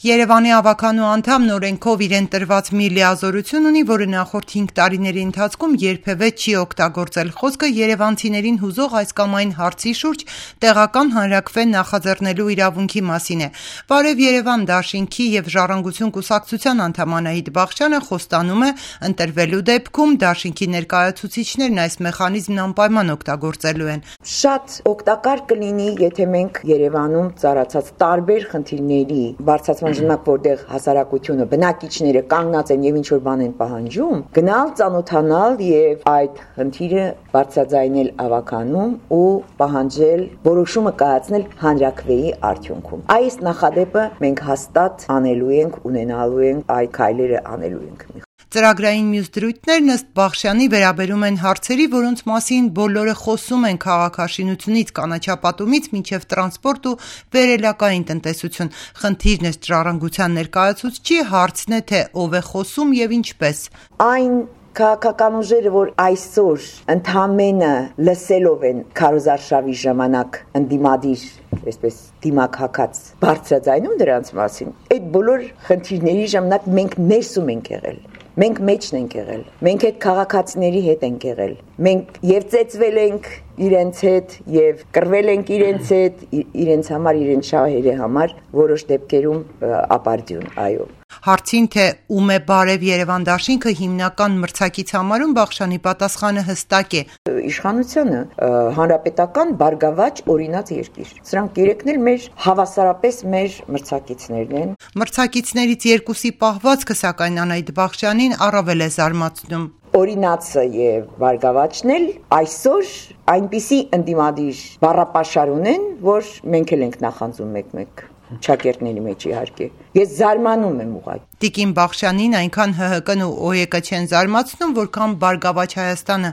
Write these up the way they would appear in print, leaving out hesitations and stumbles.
Երևանի ավականու անդամ նորենքով իրեն տրված մի լիազորություն ունի, որը նախորդ 5 տարիների ընթացքում երբևէ չի օգտագործել։ Խոսքը երևանցիներին հուզող այս կամ այն հարցի շուրջ տեղական հանրաքվե նախաձեռնելու իրավունքի մասին է։ Բարև Երևան դաշինքի եւ Ժառանգություն կուսակցության անդամ Անահիտ Բախշյանը խոստանում է, ընտրվելու դեպքում դաշինքի ներկայացուցիչներն այս մեխանիզմն անպայման օգտագործելու են։ Շատ օգտակար կլինի, եթե մենք Երևանում ծառացած տարբեր խնդիրների բարձրացման ժամանակ, որտեղ հասարակությունը, բնակիչները կանգնած են եւ ինչ-որ բան են պահանջում, գնալ, ծանոթանալ եւ այդ խնդիրը բարձրաձայնել ավականում ու պահանջել, որոշումը կայացնել հանրաքվեի արդյունքում։ Այս նախադեպը մենք հաստատ անելու ենք, ունենալու ենք, այդ քայլերը անելու ենք։ Ծրագրային մյուս դրույթներն ըստ Բախշյանի վերաբերում են հարցերի, որոնց մասին բոլորը խոսում են քաղաքաշինությունից, կանաչապատումից մինչև տրանսպորտ ու վերելակային տնտեսություն։ Խնդիրն ըստ Ժառանգության ներկայացուցչի հարցն է, թե ով է խոսում եւ ինչպես։ Այն քաղաքական ուժերը, որ այսօր ընդամենը լսելով են քարոզարշավի ժամանակ ընդդիմադիր, այսպես դիմակակած բարձրաձայնում դրանց մասին, այդ բոլոր խնդիրների ժամանակ մենք ներսում ենք եղել։ Մենք մեջն ենք եղել, մենք այդ քաղաքացիների հետ ենք եղել, մենք եւ ծեծվել ենք իրենց հետ եւ կռվել ենք իրենց հետ, իրենց համար, իրենց շահերի համար, որոշ դեպքերում ապարդյուն, այո։ Հարցին, թե ում է Բարև Երևան դաշինքը հիմնական մրցակից համարում, Բախշյանի պատասխանը հստակ է։ Իշխանությունը հանրապետական բարգավաճ օրինաց երկիր։ Սրանք երեքն էլ մեր հավասարապես մեր մրցակիցներն են։ Մրցակիցներից երկուսի պահվածքը, սակայն Անահիտ Բախշյանին առավել է զարմացնում։ Օրինացը եւ բարգավաճն էլ այսօր այնպիսի ընդդիմադիր բառապաշար ունեն, որ մենք էլ ենք նախանձում մեկ-մեկ ճակերտների մեջ իհարկե։ Ես զարմանում եմ ուղղակի։ Տիկին Բախշյանին այնքան ՀՀԿ-ն ու ՕԵԿ-ը չեն զարմացնում, որքան Բարգավաճ Հայաստանը։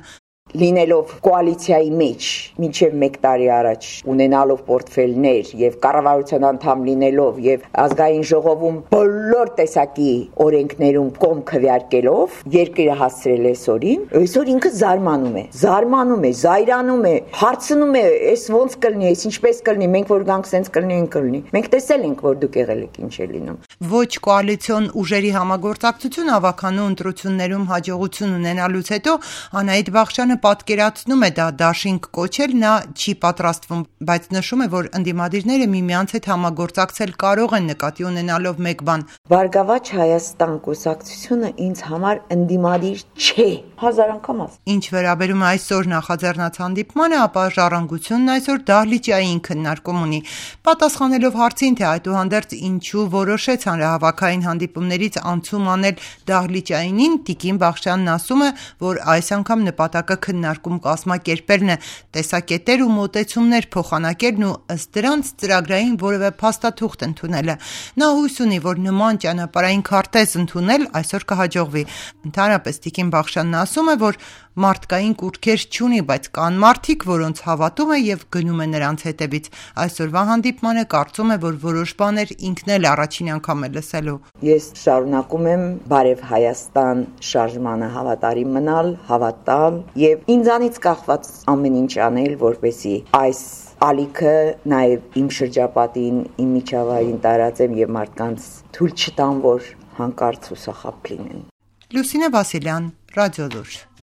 Լինելով կոալիցիայի մեջ մինչև 1 տարի առաջ ունենալով պորտֆելներ եւ կառավարության անդամ լինելով եւ ազգային ժողովում բոլոր տեսակի օրենքներում կողմ քվեարկելով երկիրը հասցրել այսօր ինքը զարմանում է, զայրանում է, հարցնում է, այս ոնց կլինի, այս ինչպես կլինի, մենք որ գանք սենց կլինի։ Մենք տեսել ենք, որ դուք եղել եք ինչ է լինում։ Ոչ կոալիցիոն ուժերի համագործակցություն ավականու ընտրություններում հաջողություն ունենալուց հետո Անահիտ Բախշյանը պատկերացնում է դա դաշինք կոչել, նա չի պատրաստվում, բայց նշում է, որ ընդդիմադիրները միմյանց հետ համագործակցել կարող են նկատի ունենալով մեկ բան։ Բարգավաճ Հայաստան կուսակցությունը ինձ համար ընդդիմադիր չէ, 1000 անգամ ասում։ Ինչ վերաբերում է այսօր նախաձեռնած հանդիպմանը, ապա Ժառանգությունն այսօր դահլիճային քննարկում ունի։ Պատասխանելով հարցին, թե այդուհանդերձ ինչու որոշեց հանրահավաքային հանդիպումներից անցում անել դահլիճայինին, Տիկին Բախշյանն ասում է, որ այս անգամ նպատակը քննարկում կազմակերպելն է, տեսակետեր ու մոտեցումներ փոխանակելն ու ըստ դրանց ծրագրային որևէ փաստաթուղթ ընդունելը։ Նա հույս ունի, որ նման ճանապարհային քարտեզ ընդունել այսօր կհաջողվի։ Ընդհանրապես Տիկին Բախշյանն ասում է, որ մարդկային կուռքեր չունի, բայց կան մարդիկ, որոնց հավատում է եւ գնում է նրանց հետևից։ Այսօրվա հանդիպմանը կարծում է, որ որոշ բաներ ինքն էլ առաջին անգամ է լսելու։ Ես շարունակում եմ Բարև Հայաստան շարժմանը հավատարիմ մնալ, հավատալ եւ ինձանից կախված ամեն ինչ անել, որպեսզի այս ալիքը նաեւ իմ շրջապատին, իմ միջավայրին տարածեմ եւ մարդկանց թույլ չտամ, որ հանկարծ հուսախաբ լինեն։ Լուսինե Վասիլյան, Ռադիոլուր։